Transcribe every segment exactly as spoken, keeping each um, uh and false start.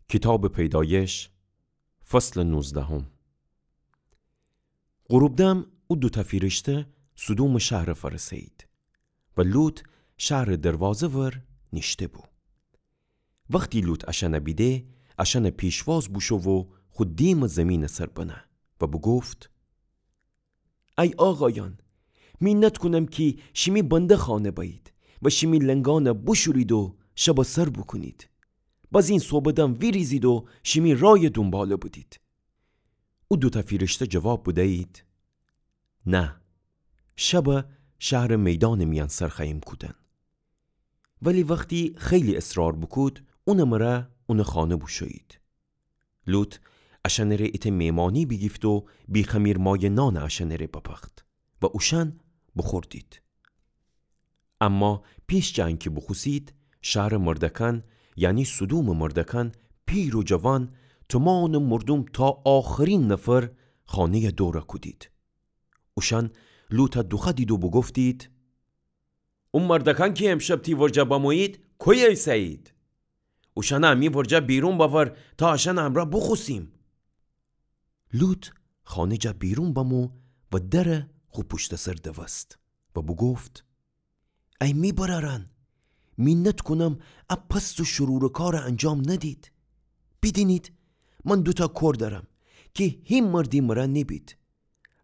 کیتابٚ پیدایش، فصلٚ نوزدهم. غروب دم او دوتأ فیرشته سدومٚ شهرٚ فرسه‌یید و لوط شهرٚ دروازه ور نیشته بو. وختی لوط اشأنه بیده، اشأنٚ پیشواز بوشو و خو دیمٚ زیمینٚ سر بنه و بوگفت: ای آقایأن، مینت کونم کی شیمی بنده خانه بأیید و شیمی لنگأنه بوشورید و شبه سر بوکونید. بازین صوبٚ دم ویریزید و شیمی رایٚ دونباله بدید. او دوتأ فیرشته جواب بدیید: نه، شبه شهرٚ میدانٚ میأن سر خوأییم کودن. ولی وختی خیلی اصرار بوکود، اونٚ مره اونٚ خانه بوشویید. لوط اشأنٚ ره ایتأ میمانی بیگیفت و بیخمیر مایه نانه اشأنٚ ره بپخت و اوشأن بوخوردید. اما پیش جٚه انکی بوخوسید، شهرٚ مردأکأن، یعنی سدومٚ مردأکأن، پیر و جوان، تومانٚ مردوم تا آخرین نفر خانه‌یه دوره کودید. اوشأن لوطه دوخوأدید و بوگفتید: او مردأکأن کی امشب تی ورجه بمویید، کویه ایسه‌یید؟ اوشأنه امی ورجه بیرون بأور تا اشأنٚ امرأ بوخوسیم. لوط خانه جا بیرون بمو و دره خو پوشتٚ سر دوست و بوگفت: ای می برأرأن، مینت کونم ا پست و شرورٚ کاره انجام ندید. بیدینید، من دوتأ کور دأرم کی هیچ مردی مره نیبید.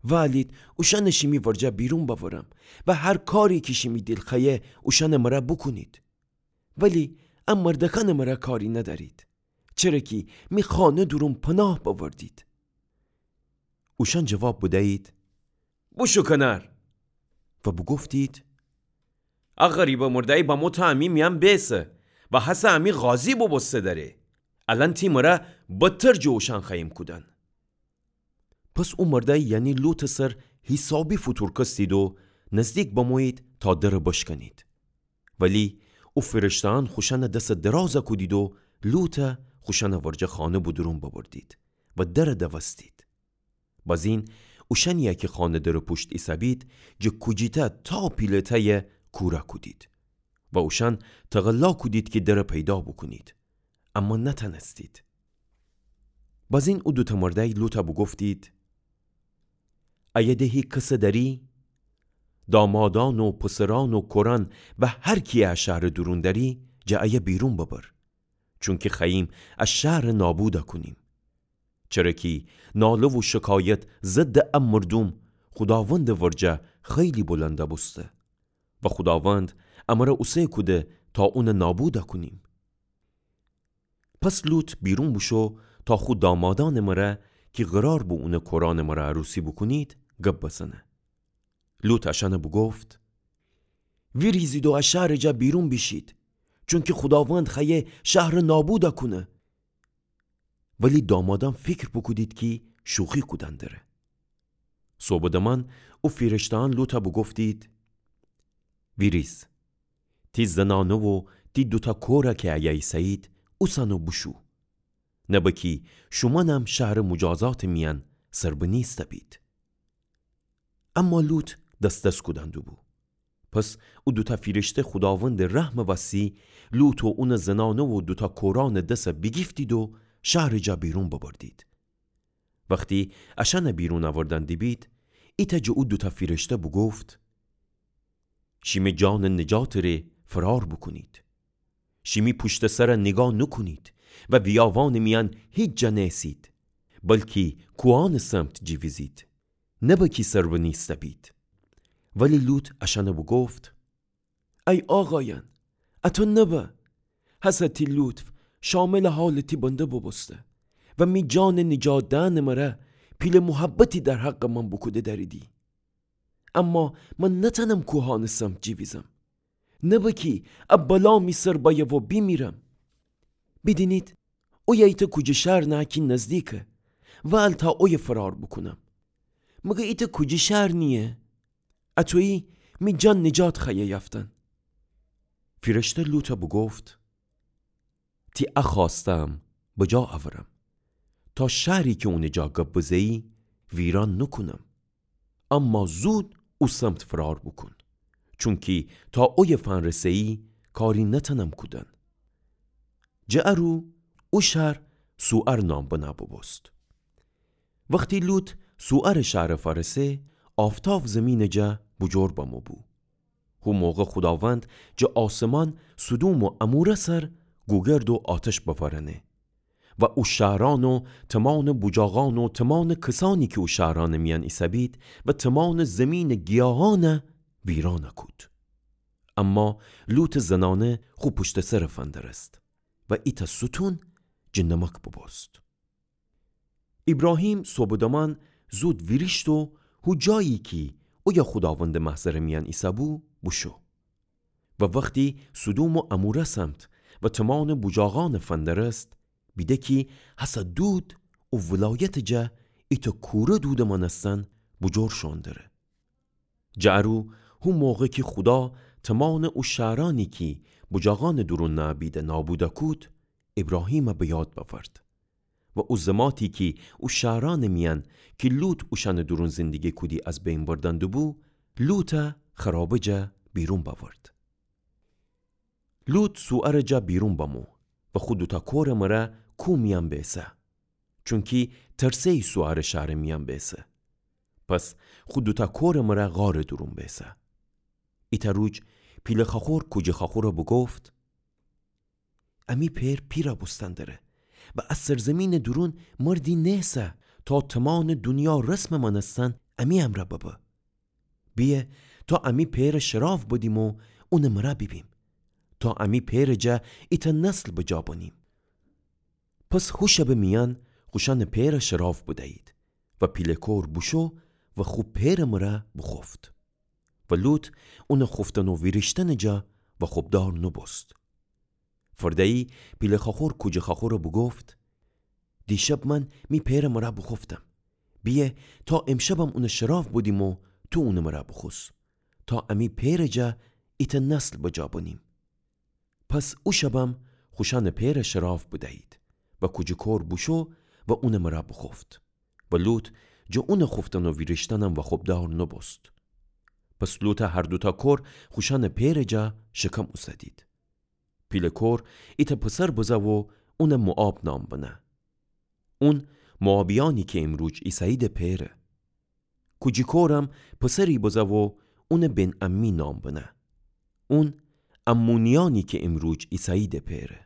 وألید اوشأنه شیمی ورجه بیرون بأورم و هر کاری کی شیمی دیل خوأیه اوشأنٚ مره بوکونید. ولی ا مردأکأنٚ مره کاری ندأرید، چره کی می خانه دورون پناه بأوردید. اوشأن جواب بدیید: بوشو کنار. و بوگفتید: ا غریبٚ مردأیی بمو تا امی میأن بیسه و هسه امی قاضی بوبوسته دأره. الأن تی مره بدتر جٚه اوشأن خوأییم کودن. پس او مردأی، یعنی لوطٚ سر حیسابی فوتورکستید و نزدیک بمویید تا دره بشکنید. ولی او فیرشته‌أن خوشأنٚ دسه درازه کودید و لوطه خوشأنٚ ورجه خانه به دورون ببردید و دره دوستید. بازین اوشأنیی کی خانه دره پوشت ایسه‌بید، جٚه کوجیتأ تا پیله‌تأیه کوره کودید و اوشأن تقلا کودید کی دره پیدا بوکونید، اما نتأنستید. بازین او دوتأ مردأی لوطه بوگفتید: ایه ده هی کسه دأری؟ دامادأن و پسرأن و کورأن و هر کیی ا شهرٚ دورون دأری، جٚه ایه بیرون ببر، چونکی خوأییم ا شهره نابوده کونیم. چره کی ناله و شکایت ضدٚ ا مردوم خوداوندٚ ورجه خیلی بلنده بوسته و خوداوند امره اوسه کوده تا اونه نابوده کونیم. پس لوط بیرون بوشو تا خو دامادأنٚ مره کی قرار بو اونٚ کورأنٚ مره عروسی بوکونید، گب بزنه. لوط اشأنه بوگفت: ویریزید و ا شهرٚ جا بیرون بیشید، چونکی خوداوند خوأیه شهره نابوده کونه. ولی دامادأن فیکر بوکودید کی شوخی کودن دره. صوبٚ دمأن او فیرشته‌أن لوطه بوگفتید: ویریز، تی زنأنه و تی دوتأ کوره کی ایه ایسه‌یید، اوسأن و بوشو، نبه کی شومأنم شهرٚ موجازاتٚ میأن سربنیسته بید. اما لوط دس‌دس کودن دوبو. پس او دوتأ فیرشته خوداوندٚ رحمٚ وسی لوط و اونٚ زنأنه و دوتأ کورأنٚ دسه بیگیفتید و شهرٚ جا بیرون ببردید. وختی اشأنه بیرون اوردن دیبید، ایتأ جٚه او دوتأ فیرشته بوگفت: شیمی جانٚ نجاتٚ ره فرار بوکونید. شیمی پوشتٚ سره نیگاه نوکونید و ویاوانٚ میأن هیچ جا نیسید، بلکی کوهأنٚ سمت جیویزید، نبه کی سربنیسته بید. ولی لوط اشأنه بوگفت: ای آقایأن، اطو نبه. هسه تی لطف شاملٚ حالٚ تی بنده بوبوسته و می جانٚ نجات دئنٚ مره پیله محبتی در حقٚ من بوکوده دأریدی. اما من نتأنم کوهأنٚ سمت جیویزم، نبه کی ا بلا می سر بأیه و بیمیرم. بیدینید، اویه ایتأ کوجه شهر نهه کی نزدیکه، وأل تا اویه فرار بوکونم. مگر ایتأ کوجه شهر نییه؟ اطویی می جان نجات خوأیه یافتن. فیرشته لوطه بوگفت: تی ا خوأسته‌م بجا اورم، تا شهری کی اونٚ جا گب بزه‌یی ویران نوکونم. اما زود او سمت فرار بوکون، چونکی تا اویه فنرسه‌یی کاری نتأنم کودن. جٚه ا رو او شهر صوعر نام بنه بوبوست. وختی لوط صوعرٚ شهرٚ فأرسه، آفتاو زیمینٚ جا بوجور بمو بو. هو موقع خوداوند جٚه آسمان سدوم و عموره سر گوگرد و آتش بفرأنه و او شهرأن و تومانٚ بوجاغأن و تومانٚ کسأنی کی او شهرأنٚ میأن ایسه‌بید و تومانٚ زیمینٚ گیاهأن ویرأن کود. اما لوطٚ زنأنه خو پوشتٚ سر فندرست و ایتأ ستون جٚه نمک بوبوست. ایبراهیم صوبٚ دمان زود ویریشت و هو جایی کی اویه خوداوندٚ محضرٚ میأن ایسه‌بو بوشو. و وختی سدوم و عموره سمت و تومانٚ بوجاغأن فندرست، بیده کی هسه دود او ولایتٚ جا ایتأ کوره دودٚ مأنستن بوجور شوئون دره. جٚه ارو هو موقع کی خودا تومانٚ او شهرأنی کی بوجاغأنٚ دورون نأبیده نابود کود، ایبراهیم به یاد بأورد و او زماتی کی او شهرأنٚ میأن کی لوط اوشأنٚ دورون زندگی کودی از بین بردن دوبو، لوط خرابه جا بیرون بأورد. لوط صوعرٚ جا بیرون بمو و خو دوتأ کورٚ مره کوه میأن بیسه، چونکی ترسه‌یی صوعرٚ شهرٚ میأن بیسه. پس خو دوتأ کورٚ مره غارٚ دورون بیسه. ایتأ روج پیله خأخور کوجی خأخوره بوگفت: امی پئر پیره بوستن دره و از سرزیمینٚ دورون مردی نیسه تا تومانٚ دونیا رسمٚ مأنستن امی امرأ ببه. بیه تا امی پئر شراو بدیم و اونٚ مره بیبیم، تا امی پئرٚ جا ایتأ نسل بجا بنیم. پس هو شبٚ میأن خوشأنٚ پئر شراو بدیید و پیله کور بوشو و خو پئرٚ مره بوخوفت. و لوط اونٚ خوفتن و ویریشتنٚ جا وخوبدار نوبوست. فرده‌یی پیله خأخور کوجی خأخوره بوگفت: دیشب من می پئرٚ مره بوخوفتم. بیه تا امشبم اونٚ شراو بدیم و تو اونٚ مره بوخوس، تا امی پئرٚ جا ایتأ نسل بجا بنیم. پس او شبم خوشأنٚ پئر شراو بدیید و کوجی کور بوشو و اونٚ مره بوخوفت. و لوط جٚه اونٚ خوفتن و ویریشتنم وخوبدار نوبوست. پس لوطٚ هر دوتأ کور خوشأنٚ پئرٚ جا شکم اوسدید. پیله کور ایتأ پسر بزه و اون موآب نام بنه. اون موآبیأنی کی امروج ایسه‌ییدٚ پئره. کوجی کورم پسری بزه و اون بن‌عمی نام بنه. اون عمونیأنی کی امروج ایسه‌ییدٚ پئره.